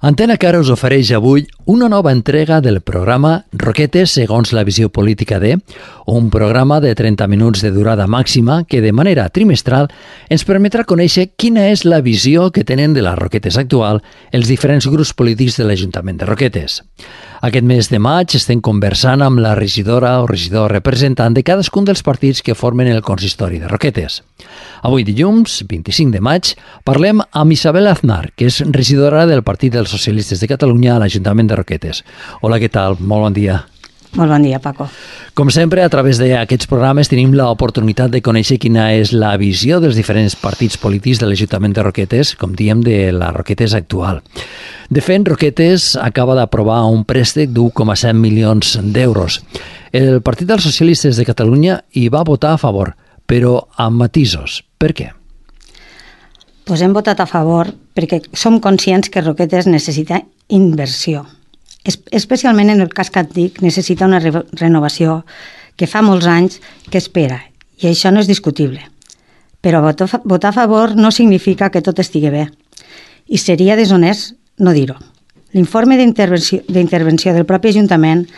Antena Cara us ofereix avui una nova entrega del programa Roquetes segons la visió política de, un programa de 30 minuts de durada màxima que de manera trimestral ens permetrà conèixer quina és la visió que tenen de les Roquetes actual els diferents grups polítics de l'Ajuntament de Roquetes. Aquest mes de maig estem conversant amb la regidora o regidor representant de cadascun dels partits que formen el consistori de Roquetes. Avui dilluns, 25 de maig, parlem amb Isabel Aznar, que és regidora del Partit dels Socialistes de Catalunya a l'Ajuntament de Roquetes. Hola, què tal? Molt bon dia. Molt bon dia, Paco. Com sempre, a través d'aquests programes tenim l'oportunitat de conèixer quina és la visió dels diferents partits polítics de l'Ajuntament de Roquetes, com diem, de la Roquetes actual. De fet, Roquetes acaba d'aprovar un préstec d'1,7 milions d'euros. El Partit dels Socialistes de Catalunya hi va votar a favor, però amb matisos. Per què? Pues hem votat a favor perquè som conscients que Roquetes necessita inversió. Especialment en el casc antic necessita una renovació que fa molts anys que espera, i això no és discutible. Però votar a favor no significa que tot estigui bé, i seria deshonest no dir-ho. L'informe d'intervenció del propi Ajuntament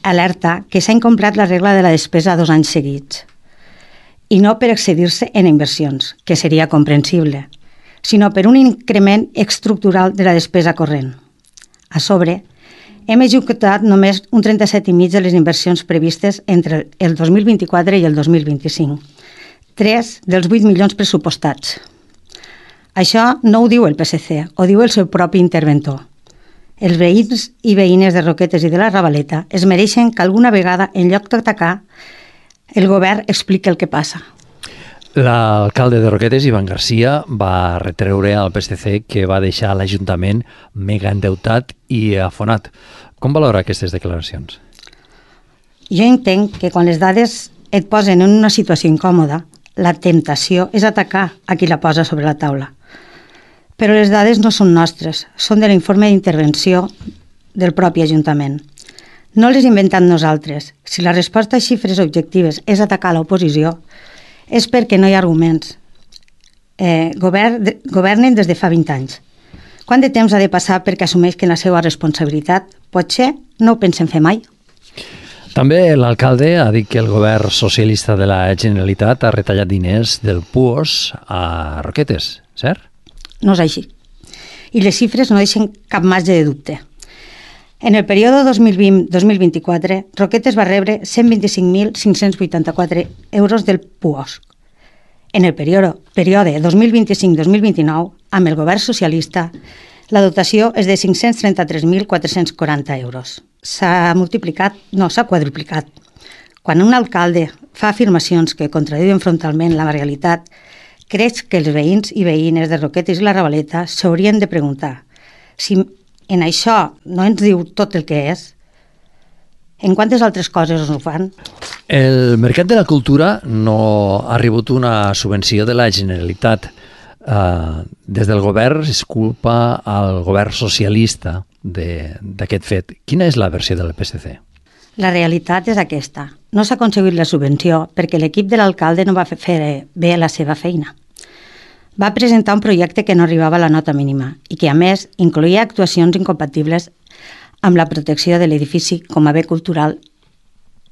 alerta que s'ha incomplert la regla de la despesa 2 anys seguits, i no per excedir-se en inversions, que seria comprensible, sinó per un increment estructural de la despesa corrent. A sobre, hem executat només un 37,5% de les inversions previstes entre el 2024 i el 2025, 3 dels 8 milions pressupostats. Això no ho diu el PSC, ho diu el seu propi interventor. Els veïns i veïnes de Roquetes i de la Ravaleta es mereixen que alguna vegada, en lloc d'atacar, el govern expliqui el que passa. L'alcalde de Roquetes, Ivan Garcia, va retreure al PSC que va deixar l'Ajuntament mega endeutat i afonat. Com valora aquestes declaracions? Jo entenc que quan les dades et posen en una situació incòmoda, la temptació és atacar a qui la posa sobre la taula. Però les dades no són nostres, són de l'informe d'intervenció del propi Ajuntament. No les inventem nosaltres. Si la resposta a xifres objectives és atacar l'oposició, és perquè no hi ha arguments. Governen des de fa 20 anys. Quant de temps ha de passar perquè assumeixin la seva responsabilitat? Potser no ho pensen fer mai. També l'alcalde ha dit que el govern socialista de la Generalitat ha retallat diners del PUOS a Roquetes, cert? No és així. I les xifres no deixen cap marge de dubte. En el període 2020-2024, Roquetes va rebre 125.584 euros del PUOS. En el període 2025-2029, amb el govern socialista, la dotació és de 533.440 euros. S'ha quadruplicat. Quan un alcalde fa afirmacions que contradiuen frontalment la realitat, crec que els veïns i veïnes de Roquetes i la Ravaleta s'haurien de preguntar si en això no ens diu tot el que és, en quantes altres coses ho fan? El mercat de la cultura no ha rebut una subvenció de la Generalitat. Des del govern es culpa al govern socialista d'aquest fet. Quina és la versió del PSC? La realitat és aquesta. No s'ha aconseguit la subvenció perquè l'equip de l'alcalde no va fer bé la seva feina. Va presentar un projecte que no arribava a la nota mínima i que, a més, incloïa actuacions incompatibles amb la protecció de l'edifici com a bé cultural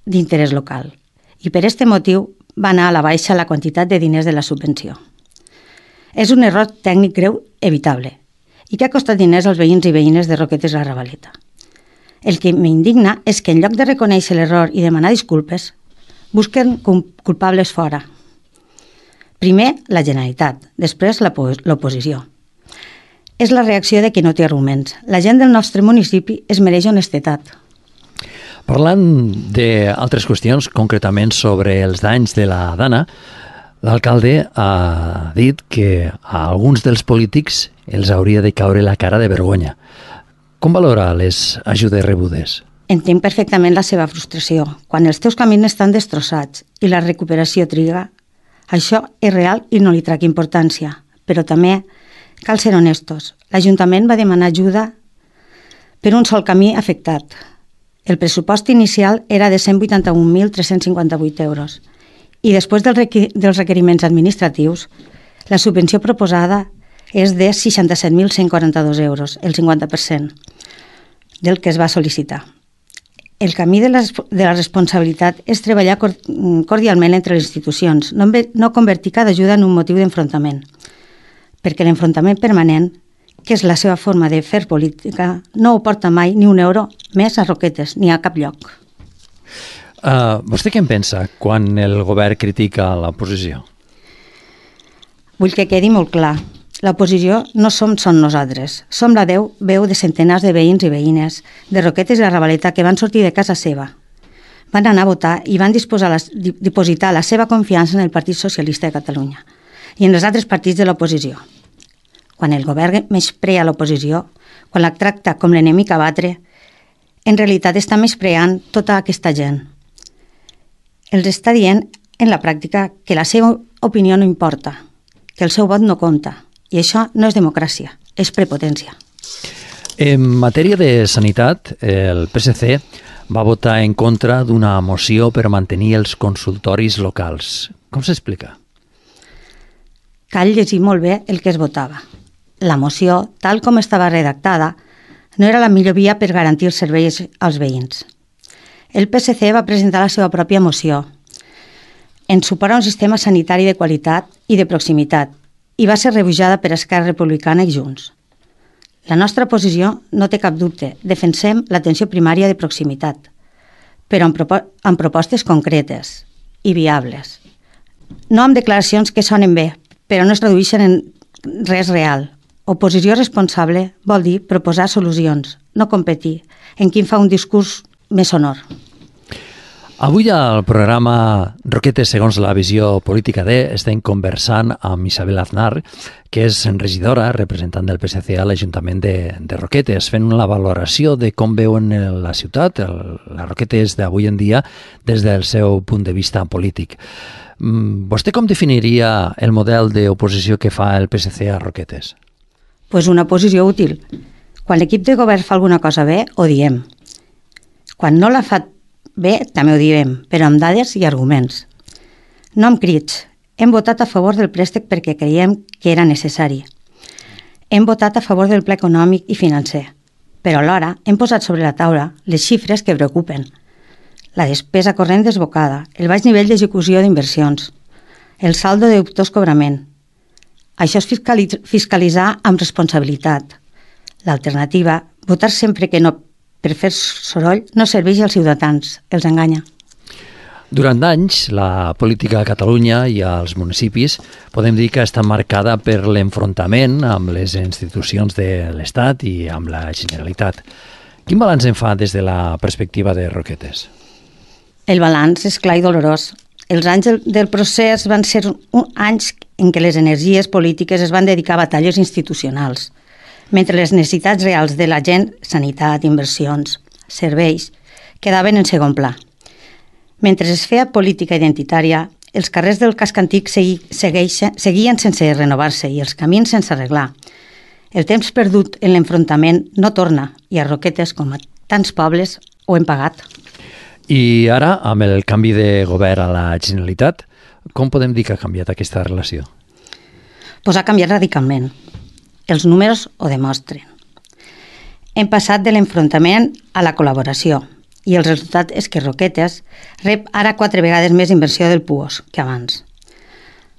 d'interès local. I per aquest motiu va anar a la baixa la quantitat de diners de la subvenció. És un error tècnic greu evitable i que ha costat diners als veïns i veïnes de Roquetes i la Ravaleta. El que m'indigna és que en lloc de reconèixer l'error i demanar disculpes, busquen culpables fora. Primer, la Generalitat, després l'oposició. És la reacció de qui no té arguments. La gent del nostre municipi es mereix honestedat. Parlant d'altres qüestions, concretament sobre els danys de la Dana, l'alcalde ha dit que a alguns dels polítics els hauria de caure la cara de vergonya. Com valora les ajudes rebudes? Entenc perfectament la seva frustració. Quan els teus camins estan destrossats i la recuperació triga, això és real i no li trec importància. Però també cal ser honestos. L'Ajuntament va demanar ajuda per un sol camí afectat. El pressupost inicial era de 181.358 euros i després dels requeriments administratius, la subvenció proposada és de 67.142 euros, el 50% del que es va sol·licitar. El camí de la responsabilitat és treballar cordialment entre les institucions, no convertir cada ajuda en un motiu d'enfrontament, perquè l'enfrontament permanent, que és la seva forma de fer política, no ho porta mai ni un euro més a Roquetes, ni a cap lloc. Vostè què en pensa quan el govern critica l'oposició? Vull que quedi molt clar. L'oposició no som nosaltres. Som la veu de centenars de veïns i veïnes de Roquetes i la Ravaleta que van sortir de casa seva. Van anar a votar i van dipositar la seva confiança en el Partit Socialista de Catalunya i en els altres partits de l'oposició. Quan el govern menysprea l'oposició, quan la tracta com l'enemic a batre, en realitat està menyspreant tota aquesta gent. Els està dient en la pràctica que la seva opinió no importa, que el seu vot no compta. I això no és democràcia, és prepotència. En matèria de sanitat, el PSC va votar en contra d'una moció per mantenir els consultoris locals. Com s'explica? Cal llegir molt bé el que es votava. La moció, tal com estava redactada, no era la millor via per garantir els serveis als veïns. El PSC va presentar la seva pròpia moció en suport a un sistema sanitari de qualitat i de proximitat, i va ser rebutjada per Esquerra Republicana i Junts. La nostra posició no té cap dubte, defensem l'atenció primària de proximitat, però amb propostes concretes i viables. No amb declaracions que sonen bé, però no es tradueixen en res real. Oposició responsable vol dir proposar solucions, no competir en qui fa un discurs més sonor. Avui al programa Roquetes segons la visió política D estem conversant amb Isabel Aznar, que és regidora, representant del PSC a l'Ajuntament de Roquetes, fent la valoració de com veuen la ciutat, la Roquetes d'avui en dia, des del seu punt de vista polític. Vostè com definiria el model d'oposició que fa el PSC a Roquetes? Pues una oposició útil. Quan l'equip de govern fa alguna cosa bé, ho diem. Quan no la fa bé, també ho direm, però amb dades i arguments. No amb crits. Hem votat a favor del préstec perquè creiem que era necessari. Hem votat a favor del pla econòmic i financer, però alhora hem posat sobre la taula les xifres que preocupen. La despesa corrent desbocada, el baix nivell d'execució d'inversions, el saldo de dubtós cobrament. Això és fiscalitzar amb responsabilitat. L'alternativa, votar sempre que no per fer soroll, no serveix als ciutadans, els enganya. Durant anys, la política a Catalunya i als municipis podem dir que està marcada per l'enfrontament amb les institucions de l'Estat i amb la Generalitat. Quin balanç en fa des de la perspectiva de Roquetes? El balanç és clar i dolorós. Els anys del procés van ser anys en què les energies polítiques es van dedicar a batalles institucionals, mentre les necessitats reals de la gent, sanitat, inversions, serveis, quedaven en segon pla. Mentre es feia política identitària, els carrers del casc antic seguien sense renovar-se i els camins sense arreglar. El temps perdut en l'enfrontament no torna i a Roquetes, com a tants pobles, ho hem pagat. I ara, amb el canvi de govern a la Generalitat, com podem dir que ha canviat aquesta relació? Pues ha canviat radicalment. Els números ho demostren. Hem passat de l'enfrontament a la col·laboració i el resultat és que Roquetes rep ara 4 vegades més inversió del PUOS que abans.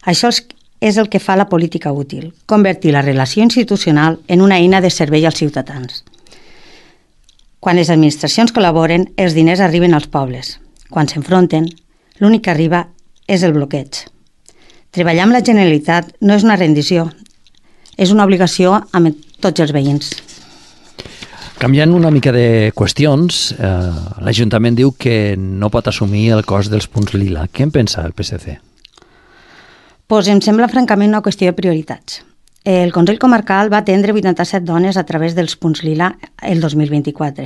Això és el que fa la política útil, convertir la relació institucional en una eina de servei als ciutadans. Quan les administracions col·laboren, els diners arriben als pobles. Quan s'enfronten, l'únic que arriba és el bloqueig. Treballar amb la Generalitat no és una rendició, és una obligació amb tots els veïns. Canviant una mica de qüestions, l'Ajuntament diu que no pot assumir el cost dels punts lila. Què en pensa el PSC? Pues em sembla francament una qüestió de prioritats. El Consell Comarcal va atendre 87 dones a través dels punts lila el 2024.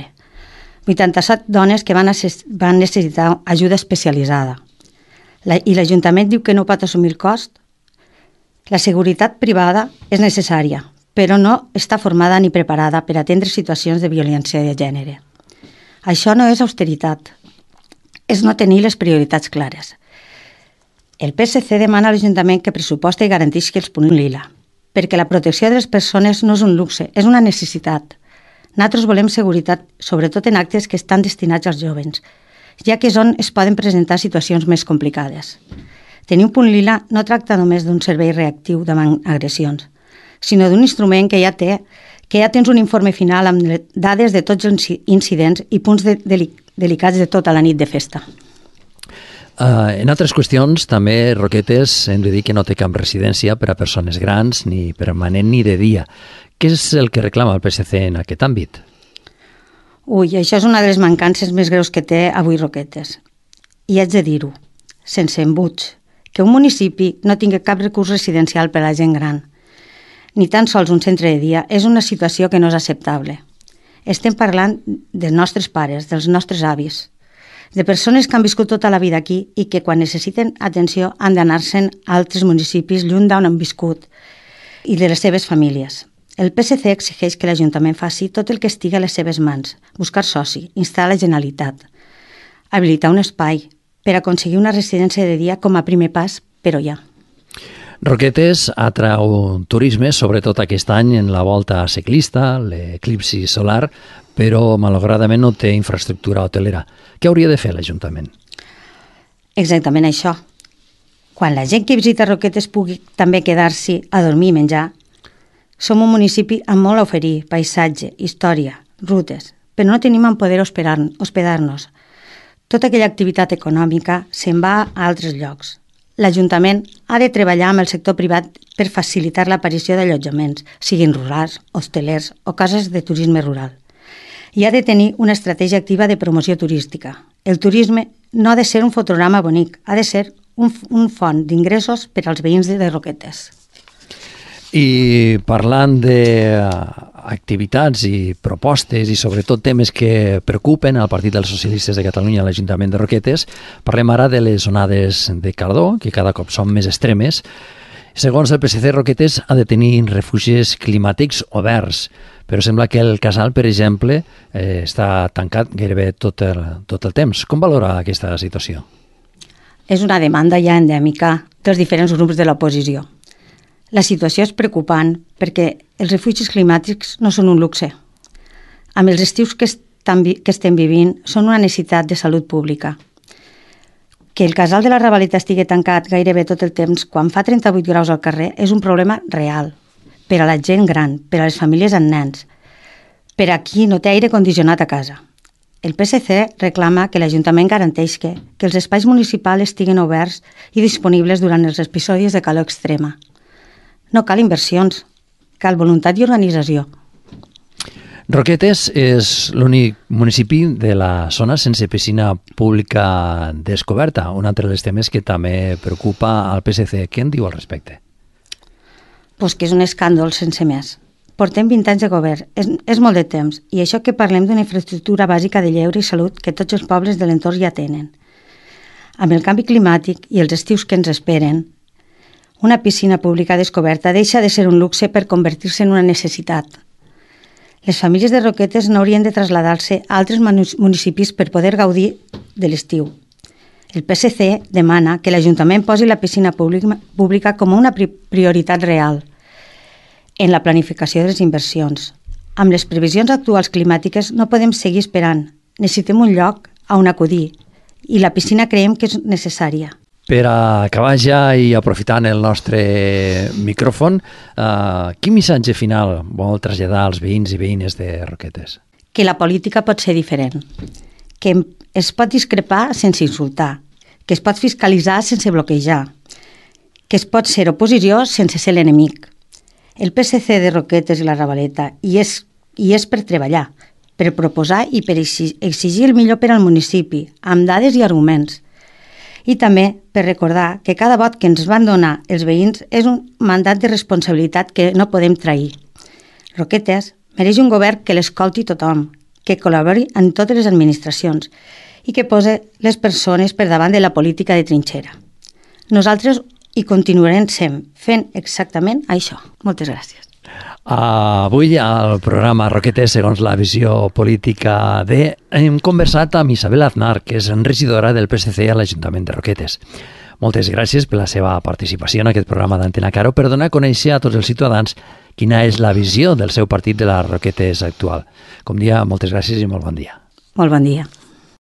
87 dones que van necessitar ajuda especialitzada. I l'Ajuntament diu que no pot assumir el cost. La seguretat privada és necessària, però no està formada ni preparada per atendre situacions de violència de gènere. Això no és austeritat, és no tenir les prioritats clares. El PSC demana a l'Ajuntament que pressuposta i garanteixi els punts lila, perquè la protecció de les persones no és un luxe, és una necessitat. Nosaltres volem seguretat, sobretot en actes que estan destinats als jovens, ja que és on es poden presentar situacions més complicades. Tenir un punt lila no tracta només d'un servei reactiu davant agressions, sinó d'un instrument que ja tens un informe final amb dades de tots els incidents i punts delicats de tota la nit de festa. En altres qüestions, també Roquetes hem de dir que no té cap residència per a persones grans, ni permanent ni de dia. Què és el que reclama el PSC en aquest àmbit? Això és una de les mancances més greus que té avui Roquetes. I haig de dir-ho, sense embuts, que un municipi no tingui cap recurs residencial per a la gent gran, ni tan sols un centre de dia, és una situació que no és acceptable. Estem parlant dels nostres pares, dels nostres avis, de persones que han viscut tota la vida aquí i que quan necessiten atenció han d'anar-se'n a altres municipis lluny d'on han viscut i de les seves famílies. El PSC exigeix que l'Ajuntament faci tot el que estigui a les seves mans, buscar soci, instar la Generalitat, habilitar un espai per aconseguir una residència de dia com a primer pas, però ja. Roquetes atrau turisme, sobretot aquest any en la volta ciclista, l'eclipsi solar, però malauradament no té infraestructura hotelera. Què hauria de fer l'Ajuntament? Exactament això. Quan la gent que visita Roquetes pugui també quedar-s'hi a dormir i menjar, som un municipi amb molt a oferir, paisatge, història, rutes, però no tenim en poder hospedar-nos. Tota aquella activitat econòmica se'n va a altres llocs. L'Ajuntament ha de treballar amb el sector privat per facilitar l'aparició d'allotjaments, siguin rurals, hostelers o cases de turisme rural. I ha de tenir una estratègia activa de promoció turística. El turisme no ha de ser un fotograma bonic, ha de ser un font d'ingressos per als veïns de Roquetes. I parlant d'activitats i propostes i sobretot temes que preocupen al Partit dels Socialistes de Catalunya a l'Ajuntament de Roquetes, parlem ara de les onades de calor, que cada cop són més extremes. Segons el PSC, Roquetes ha de tenir refugis climàtics oberts, però sembla que el Casal, per exemple, està tancat gairebé tot el temps. Com valora aquesta situació? És una demanda ja endèmica dels diferents grups de l'oposició. La situació és preocupant perquè els refugis climàtics no són un luxe. Amb els estius que estem vivint són una necessitat de salut pública. Que el Casal de la Ravaleta estigui tancat gairebé tot el temps quan fa 38 graus al carrer és un problema real per a la gent gran, per a les famílies amb nens, per a qui no té aire condicionat a casa. El PSC reclama que l'Ajuntament garanteix que els espais municipals estiguin oberts i disponibles durant els episodis de calor extrema. No cal inversions, cal voluntat i organització. Roquetes és l'únic municipi de la zona sense piscina pública descoberta, un altre dels temes que també preocupa al PSC. Què en diu al respecte? Pues que és un escàndol sense més. Portem 20 anys de govern, és molt de temps, i això que parlem d'una infraestructura bàsica de lleure i salut que tots els pobles de l'entorn ja tenen. Amb el canvi climàtic i els estius que ens esperen, una piscina pública descoberta deixa de ser un luxe per convertir-se en una necessitat. Les famílies de Roquetes no haurien de traslladar-se a altres municipis per poder gaudir de l'estiu. El PSC demana que l'Ajuntament posi la piscina pública com una prioritat real en la planificació de les inversions. Amb les previsions actuals climàtiques no podem seguir esperant. Necessitem un lloc on acudir i la piscina creiem que és necessària. Per acabar ja i aprofitant el nostre micròfon, quin missatge final vol traslladar als veïns i veïnes de Roquetes? Que la política pot ser diferent, que es pot discrepar sense insultar, que es pot fiscalitzar sense bloquejar, que es pot ser oposició sense ser l'enemic. El PSC de Roquetes i la Ravaleta hi és per treballar, per proposar i per exigir el millor per al municipi, amb dades i arguments. I també per recordar que cada vot que ens van donar els veïns és un mandat de responsabilitat que no podem trair. Roquetes mereix un govern que l'escolti tothom, que col·labori en totes les administracions i que posi les persones per davant de la política de trinxera. Nosaltres hi continuarem fent exactament això. Moltes gràcies. Avui al programa Roquetes segons la visió política hem conversat amb Isabel Aznar, que és regidora del PSC a l'Ajuntament de Roquetes. Moltes gràcies per la seva participació en aquest programa d'Antena Caro per donar a conèixer a tots els ciutadans quina és la visió del seu partit de les Roquetes actual. Com dia, moltes gràcies i molt bon dia. Molt bon dia.